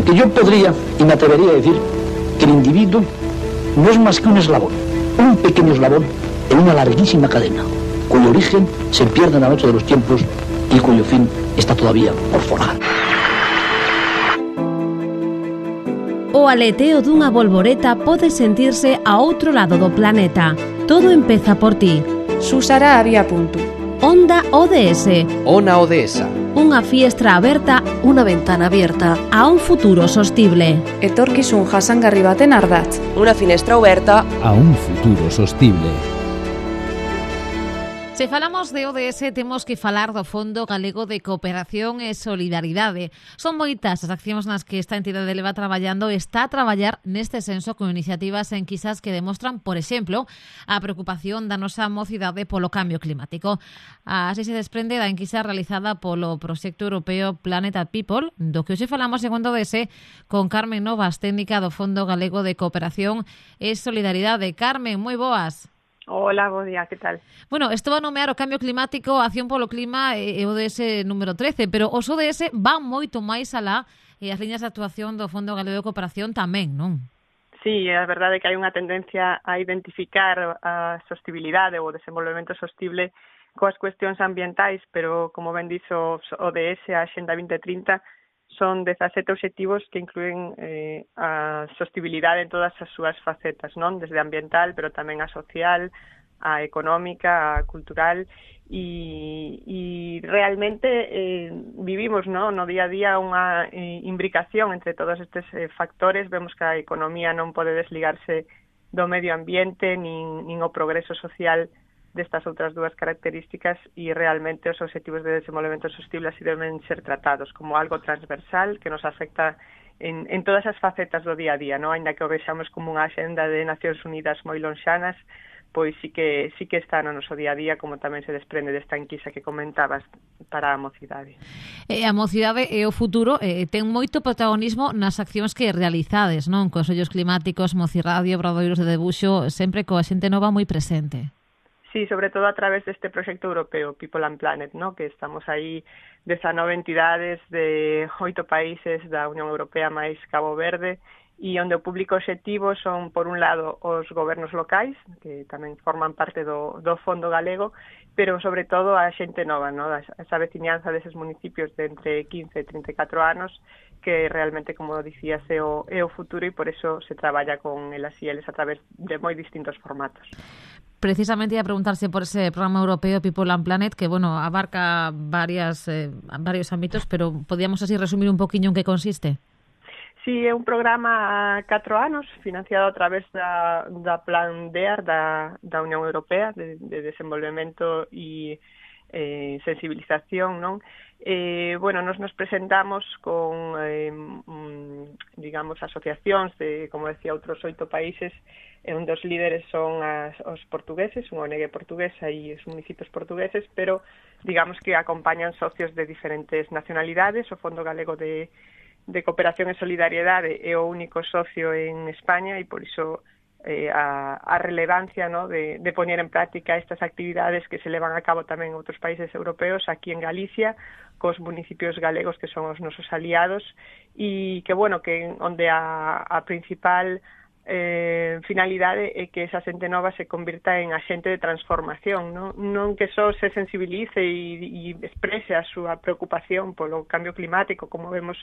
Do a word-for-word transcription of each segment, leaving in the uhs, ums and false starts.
Porque yo podría, y me atrevería a decir, que el individuo no es más que un eslabón, un pequeño eslabón en una larguísima cadena, cuyo origen se pierde en la noche de los tiempos y cuyo fin está todavía por forjar. O aleteo dunha bolboreta pode sentirse a outro lado do planeta. Todo empeza por ti. Susara había punto. Onda O D S. Ona Odesa. Unha fiestra aberta, unha ventana abierta a un futuro sostible. Etorkizun jasangarri baten ardatz. Unha finestra aberta a un futuro sostible. Se falamos de O D S, temos que falar do Fondo Galego de Cooperación e Solidaridade. Son moitas as accións nas que esta entidade leva traballando e está a traballar neste senso con iniciativas enquisas que demostran, por exemplo, a preocupación da nosa mocidade polo cambio climático. Así se desprende da enquisa realizada polo proxecto europeo Planet People, do que hoxe falamos en O D S con Carmen Novas, técnica do Fondo Galego de Cooperación e Solidaridade. Carmen, moi boas. Hola, bo día, que tal? Bueno, isto va a nomear o cambio climático, a acción polo clima e o O D S número trece, pero os O D S van moito máis alá e as liñas de actuación do Fondo Galego de Cooperación tamén, non? Sí, é verdade que hai unha tendencia a identificar a sostibilidade ou o desenvolvemento sostible coas cuestións ambientais, pero, como ben dixo o D S, a Axenda vinte trinta, son dezasete obxectivos que incluen eh, a sostibilidade en todas as súas facetas, non? Desde ambiental, pero tamén a social, a económica, a cultural, e, e realmente eh, vivimos, non? No día a día unha eh, imbricación entre todos estes eh, factores. Vemos que a economía non pode desligarse do medio ambiente, nin, nin o progreso social destas outras dúas características, e realmente os obxectivos de desenvolvemento sostible así deben ser tratados como algo transversal que nos afecta en, en todas as facetas do día a día, non? Ainda que o vexamos como unha axenda de Nacións Unidas moi lonxanas, pois sí que sí que está no noso día a día, como tamén se desprende desta enquisa que comentabas para a mocidade. E a mocidade e o futuro eh, ten moito protagonismo nas accións que realizades, non? Consellos climáticos, Mocirradio, Obradoiros de Debuxo, sempre coa xente nova moi presente. Sí, sobre todo a través deste proxecto europeo, People and Planet, ¿no? Que estamos aí dezanove entidades de oito países da Unión Europea máis Cabo Verde, e onde o público obxectivo son, por un lado, os gobernos locais, que tamén forman parte do, do Fondo Galego, pero sobre todo a xente nova, ¿no? Esa veciñanza deses municipios de entre quince e trinta e catro anos, que realmente, como dicías, é o, é o futuro, e por eso se traballa con elas e eles a través de moi distintos formatos. Precisamente ia preguntarse por ese programa europeo People and Planet, que, bueno, abarca varias, eh, varios ámbitos, pero podíamos así resumir un poquinho en que consiste? Sí, é un programa a catro anos, financiado a través da, da Plan D E A R da, da Unión Europea, de, de desenvolvemento e eh, sensibilización, non? Eh, bueno, nos nos presentamos con, eh, mm, digamos, asociacións de, como decía, outros oito países, onde os líderes son as, os portugueses, unha O N G portuguesa e os municipios portugueses, pero digamos que acompañan socios de diferentes nacionalidades. O Fondo Galego de, de Cooperación e Solidariedade é o único socio en España, e por iso eh, a, a relevancia, ¿no? de, de poñer en práctica estas actividades que se levan a cabo tamén en outros países europeos, aquí en Galicia, cos municipios galegos que son os nosos aliados, e que, bueno, que onde a, a principal eh, finalidade é que esa xente nova se convirta en axente de transformación, non, non que só se sensibilice e, e exprese a súa preocupación polo cambio climático, como vemos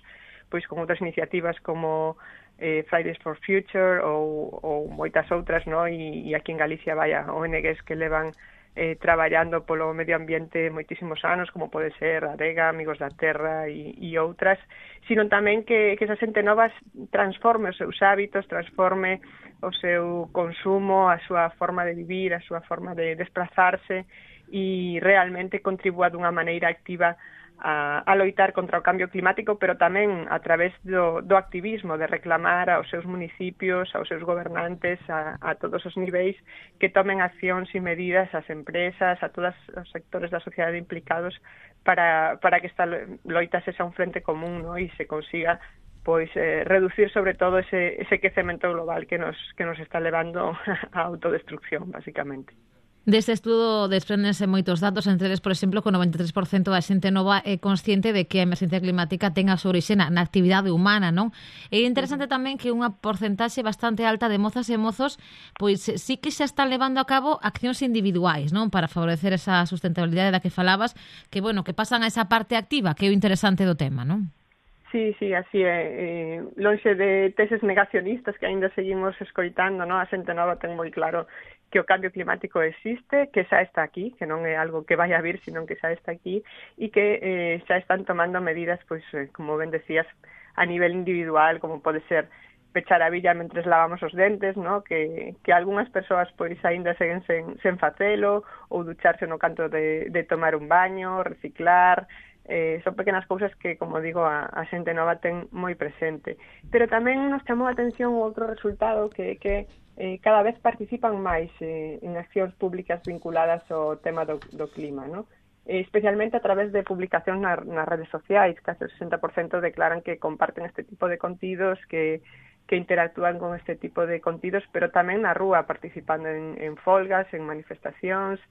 pois con outras iniciativas como eh, Fridays for Future ou, ou moitas outras, no? e, e aquí en Galicia vaya O N Gs que levan eh, traballando polo medio ambiente moitísimos anos, como pode ser Adega, Amigos da Terra e, e outras, sino tamén que, que esa xente nova transforme os seus hábitos, transforme o seu consumo, a súa forma de vivir, a súa forma de desplazarse, e realmente contribúa dunha maneira activa a, a loitar contra o cambio climático, pero tamén a través do, do activismo, de reclamar aos seus municipios, aos seus gobernantes, a, a todos os niveis, que tomen accións e medidas, ás empresas, a todos os sectores da sociedade implicados, para, para que esta loita sexa un frente común, ¿no? E se consiga pois eh, reducir sobre todo ese, ese quecemento global que nos, que nos está levando a autodestrucción, basicamente. Deste estudo desprendense moitos datos, entre eles, por exemplo, que o noventa e tres por cento da xente nova é consciente de que a emerxencia climática ten a súa orixe na, na actividade humana, non? É interesante tamén que unha porcentaxe bastante alta de mozas e mozos pois sí que xa están levando a cabo accións individuais, non? Para favorecer esa sustentabilidade da que falabas, que, bueno, que pasan a esa parte activa, que é o interesante do tema, non? Sí, sí, así é. Eh, lonxe de teses negacionistas que aínda seguimos escoitando, non? A xente nova ten moi claro que o cambio climático existe, que xa está aquí, que non é algo que vai a vir, sino que xa está aquí, e que eh, xa están tomando medidas, pois, eh, como ben decías, a nivel individual, como pode ser pechar a villa mentres lavamos os dentes, no? que, que algunhas persoas pois aínda seguen sen, sen facelo, ou ducharse no canto de, de tomar un baño, reciclar. Eh, son pequenas cousas que, como digo, a, a xente nova ten moi presente. Pero tamén nos chamou a atención outro resultado que que eh, cada vez participan máis eh, en accións públicas vinculadas ao tema do, do clima, ¿no? Eh, especialmente a través de publicacións na, nas redes sociais. Case o sesenta por cento declaran que comparten este tipo de contidos, que, que interactúan con este tipo de contidos, pero tamén na rúa, participando en, en folgas, en manifestacións,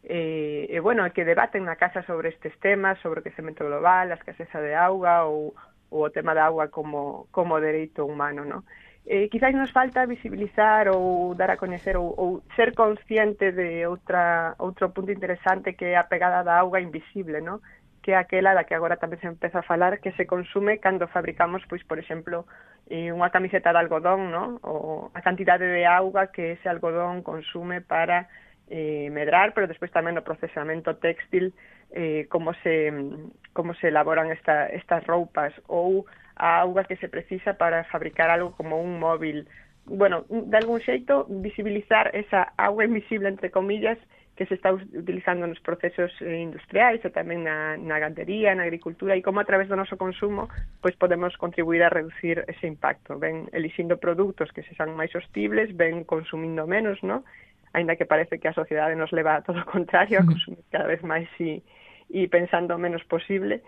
e, eh, eh, bueno, que debaten na casa sobre estes temas, sobre o quecemento global, a escaseza de auga ou, ou o tema da auga como, como dereito humano, ¿no? Eh, quizás nos falta visibilizar ou dar a coñecer ou, ou ser consciente de outra outro punto interesante, que é a pegada da auga invisible, ¿no? Que é aquela da que agora tamén se empeza a falar, que se consume cando fabricamos, pois, por exemplo, eh, unha camiseta de algodón, ¿no? O a cantidade de auga que ese algodón consume para eh, medrar, pero despois tamén no procesamento textil, eh, como se como se elaboran esta, estas roupas, ou a auga que se precisa para fabricar algo como un móvil. Bueno, de algún xeito, visibilizar esa auga invisible, entre comillas, que se está utilizando nos procesos industriais e tamén na, na gandería, na agricultura, e como a través do noso consumo pois podemos contribuir a reducir ese impacto. Ben elixindo produtos que se sean máis sostibles, ben consumindo menos, ¿no? Ainda que parece que a sociedade nos leva a todo o contrario, a consumir cada vez máis e, e pensando o menos posible.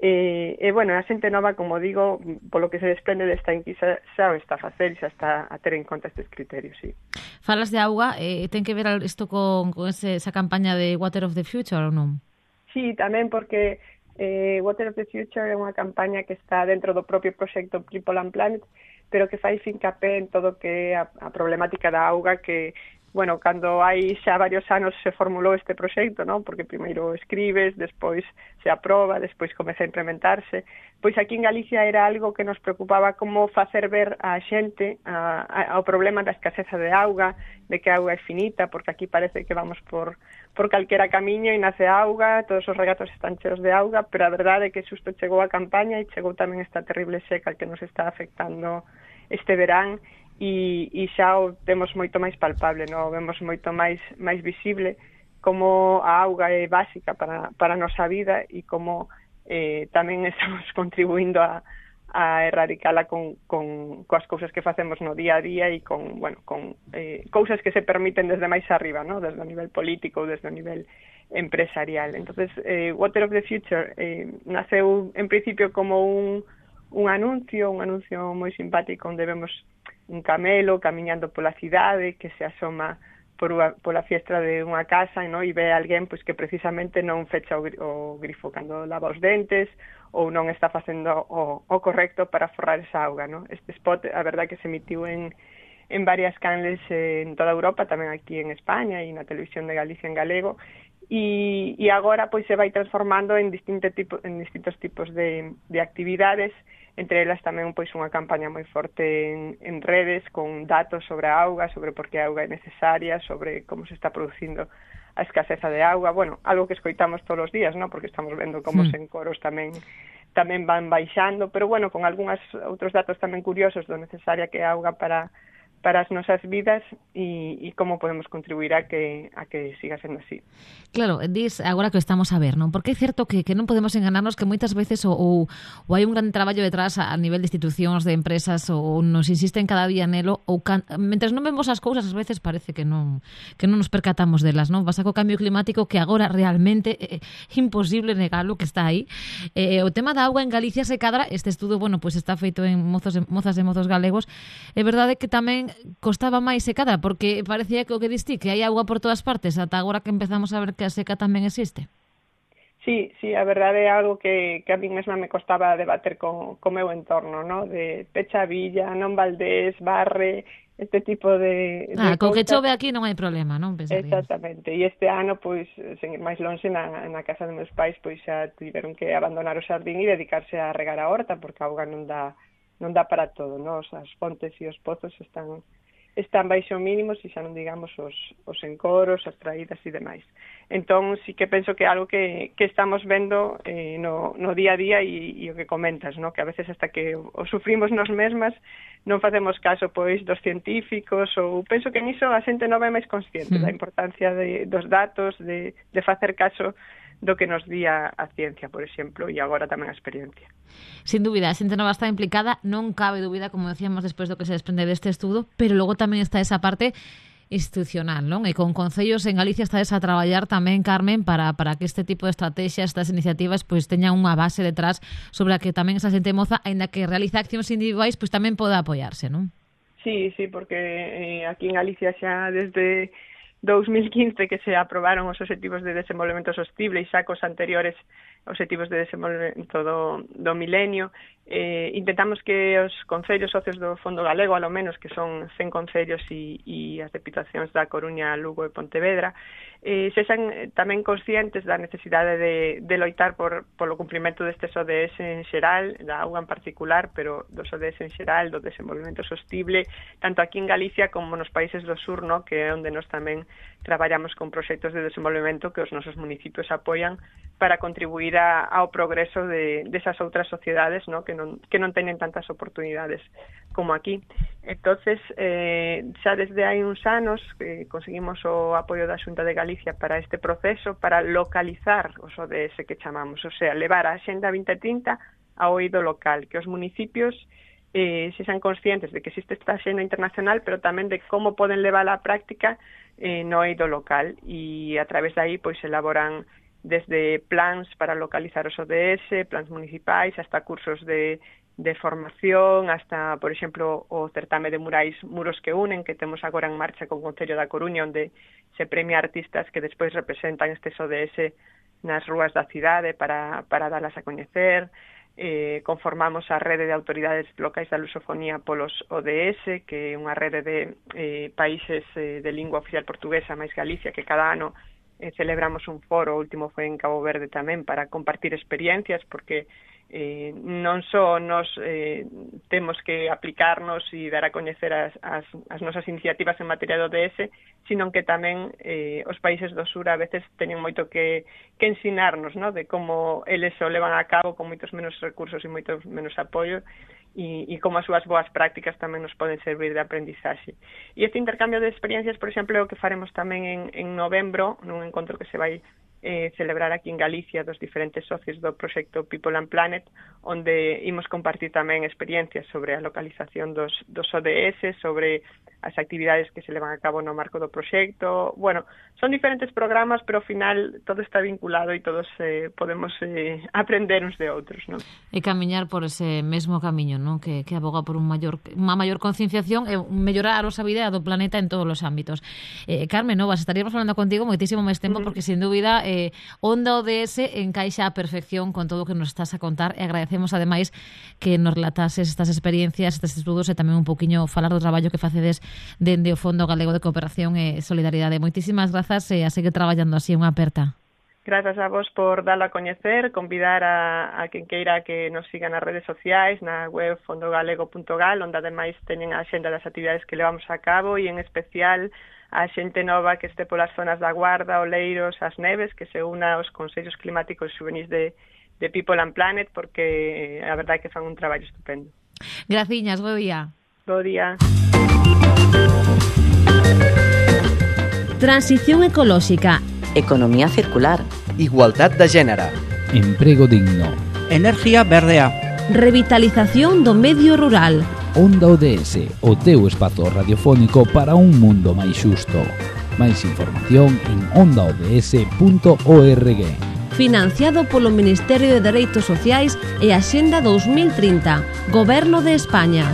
E, e, bueno, a xente nova, como digo, polo que se desprende desta enquisa, xa o está a facer, xa está a ter en conta estes criterios, sí. Falas de auga, eh, ten que ver isto con, con ese, esa campaña de Water of the Future ou non? Sí, tamén porque eh, Water of the Future é unha campaña que está dentro do propio proxecto People and Planet, pero que fai fincapé en todo que é a, a problemática da auga, que bueno, cando hai xa varios anos se formulou este proxecto, non? Porque primeiro escribes, despois se aproba, despois comeza a implementarse. Pois aquí en Galicia era algo que nos preocupaba, como facer ver a xente a, a, ao problema da escaseza de auga, de que a auga é finita, porque aquí parece que vamos por, por calquera camiño e nace auga, todos os regatos están cheos de auga, pero a verdade é que xusto chegou a campaña e chegou tamén esta terrible seca que nos está afectando este verán, e, e xa o temos moito máis palpable, no? Vemos moito máis máis visible como a auga é básica para, para a nosa vida e como eh, tamén estamos contribuindo a, a erradicala con, con coas cousas que facemos no día a día e con, bueno, con eh, cousas que se permiten desde máis arriba, no? Desde o nivel político, desde o nivel empresarial. Entonces, eh, Water of the Future eh, naceu en principio como un, un anuncio, un anuncio moi simpático onde vemos un camelo camiñando pola cidade que se asoma por unha, pola fiestra de unha casa, no? E ve a alguén pois, que precisamente non fecha o, o grifo cando lava os dentes ou non está facendo o, o correcto para forrar esa auga, no? Este spot, a verdad que se emitiu en, en varias canles eh, en toda Europa, tamén aquí en España e na televisión de Galicia en galego, e, e agora pois se vai transformando en, distinto tipo, en distintos tipos de, de actividades, entre elas tamén pois unha campaña moi forte en, en redes con datos sobre a auga, sobre por que a auga é necesaria, sobre como se está producindo a escaseza de auga, bueno, algo que escoitamos todos os días, ¿no? Porque estamos vendo como os encoros tamén tamén van baixando, pero bueno, con algúns outros datos tamén curiosos do necesaria que é a auga para para as nosas vidas e, e como podemos contribuir a que a que siga sendo así. Claro, dis agora que estamos a ver, non? Porque é certo que, que non podemos enganarnos que moitas veces ou, ou, ou hai un gran traballo detrás a, a nivel de institucións, de empresas, ou nos insisten cada día nelo, ou can, mentres non vemos as cousas, ás veces parece que non que non nos percatamos delas, non? Pasa co cambio climático que agora realmente é imposible negalo que está aí. Eh, o tema da auga en Galicia se cadra, este estudo, bueno, pois pues está feito en mozos, mozas e mozos galegos. É verdade que tamén costaba máis secada, porque parecía que o que diste que hai agua por todas partes, ata agora que empezamos a ver que a seca tamén existe. Sí, sí, a verdade é algo que, que a mí mesma me costaba debater con, con meu entorno, ¿no? De pecha a villa, non valdés, barre, este tipo de... Ah, de co que cousas. chove aquí non hai problema, non? Pensaría. Exactamente, e este ano, pois, sen ir máis longe, na, na casa dos meus pais, pois xa tiveron que abandonar o xardín e dedicarse a regar a horta, porque a auga non dá non dá para todo, non? As fontes e os pozos están están baixo mínimos e xa non digamos os, os encoros, as traídas e demais. Entón, sí que penso que é algo que, que estamos vendo eh, no, no día a día e, e o que comentas, no? Que a veces hasta que o, o sufrimos nos mesmas non facemos caso pois dos científicos, ou penso que niso a xente nova é máis consciente mm. da importancia de, dos datos, de, de facer caso do que nos di a, a ciencia, por exemplo, e agora tamén a experiencia. Sin dúbida, a xente nova está implicada, non cabe dúbida, como decíamos despois do que se desprende deste estudo, pero logo tamén está esa parte institucional, non? E con concellos en Galicia estades a traballar tamén, Carmen, para, para que este tipo de estrategias, estas iniciativas, pois teñan unha base detrás sobre a que tamén esa xente moza, aínda que realiza accións individuais, pois tamén poda apoiarse, non? Sí, sí, porque eh, aquí en Galicia xa desde dous mil quince que se aprobaron os Obxectivos de Desenvolvemento Sostible e xa cos anteriores Obxectivos de Desenvolvemento do, do Milenio, eh, intentamos que os concellos socios do Fondo Galego, alo menos, que son cen concellos e, e as deputacións da Coruña, Lugo e Pontevedra, eh, sexan tamén conscientes da necesidade de, de loitar por, polo cumprimento destes O D S en xeral, da auga en particular, pero dos O D S en xeral, do desenvolvemento sostible, tanto aquí en Galicia como nos países do sur, no? Que é onde nós tamén traballamos con proxectos de desenvolvemento que os nosos municipios apoian para contribuir a, ao progreso de desas outras sociedades, no? que, non, que non teñen tantas oportunidades como aquí. Entonces, eh, xa desde hai uns anos eh, conseguimos o apoio da Xunta de Galicia para este proceso, para localizar os O D S que chamamos, o sea, levar a Axenda vinte trinta ao oído local, que os municipios eh, se sean conscientes de que existe esta axenda internacional, pero tamén de como poden levar á práctica eh, no oído local, e a través de aí pois elaboran desde plans para localizar os O D S, plans municipais, hasta cursos de, de formación, hasta, por exemplo, o certame de murais Muros que Unen, que temos agora en marcha con o Concello da Coruña, onde se premia artistas que despois representan estes O D S nas rúas da cidade para, para dalas a coñecer. Eh, conformamos a rede de autoridades locais da lusofonía polos O D S, que é unha rede de eh, países eh, de lingua oficial portuguesa máis Galicia, que cada ano eh, celebramos un foro, o último foi en Cabo Verde tamén, para compartir experiencias, porque eh, non só nos eh, temos que aplicarnos e dar a coñecer as, as, as nosas iniciativas en materia de O D S, sino que tamén eh, os países do sur a veces teñen moito que, que ensinarnos, ¿no? De como eles o levan a cabo con moitos menos recursos e moitos menos apoio, e, e como as súas boas prácticas tamén nos poden servir de aprendizaxe. E este intercambio de experiencias, por exemplo, é o que faremos tamén en, en novembro, nun encontro que se vai eh, celebrar aquí en Galicia dos diferentes socios do proxecto People and Planet, onde imos compartir tamén experiencias sobre a localización dos, dos O D S, sobre as actividades que se levan a cabo no marco do proxecto. Bueno, son diferentes programas, pero ao final todo está vinculado e todos eh, podemos eh, aprender uns de outros, non? E camiñar por ese mesmo camiño, non? Que, que aboga por un maior, unha maior concienciación e mellorar a nosa vida do planeta en todos os ámbitos. Eh, Carmen Novas, estaríamos falando contigo moitísimo máis tempo, uh-huh. porque sin dúbida eh, Onda O D S encaixa a perfección con todo o que nos estás a contar, e agradecemos ademais que nos relatases estas experiencias, estes estudos, e tamén un poquinho falar do traballo que facedes dende o Fondo Galego de Cooperación e Solidaridade. Moitísimas grazas e a seguir traballando así, unha aperta. Grazas a vos por darlo a coñecer, convidar a, a quen queira que nos siga nas redes sociais, na web fondogalego punto gal, onde ademais teñen a xenda das actividades que levamos a cabo, e en especial a xente nova que este polas zonas da Guarda, Oleiros, as Neves, que se una aos consellos climáticos xuvenís de, de People and Planet, porque a verdade é que fan un traballo estupendo. Graciñas, bo día. Bo día. Transición ecolóxica. Economía circular. Igualdad de género. Emprego digno. Energía verdea. Revitalización do medio rural. Onda O D S, o teu espazo radiofónico para un mundo máis xusto. Máis información en onda o d s punto org. Financiado polo Ministerio de Dereitos Sociais e Axenda dous mil trinta, Goberno de España.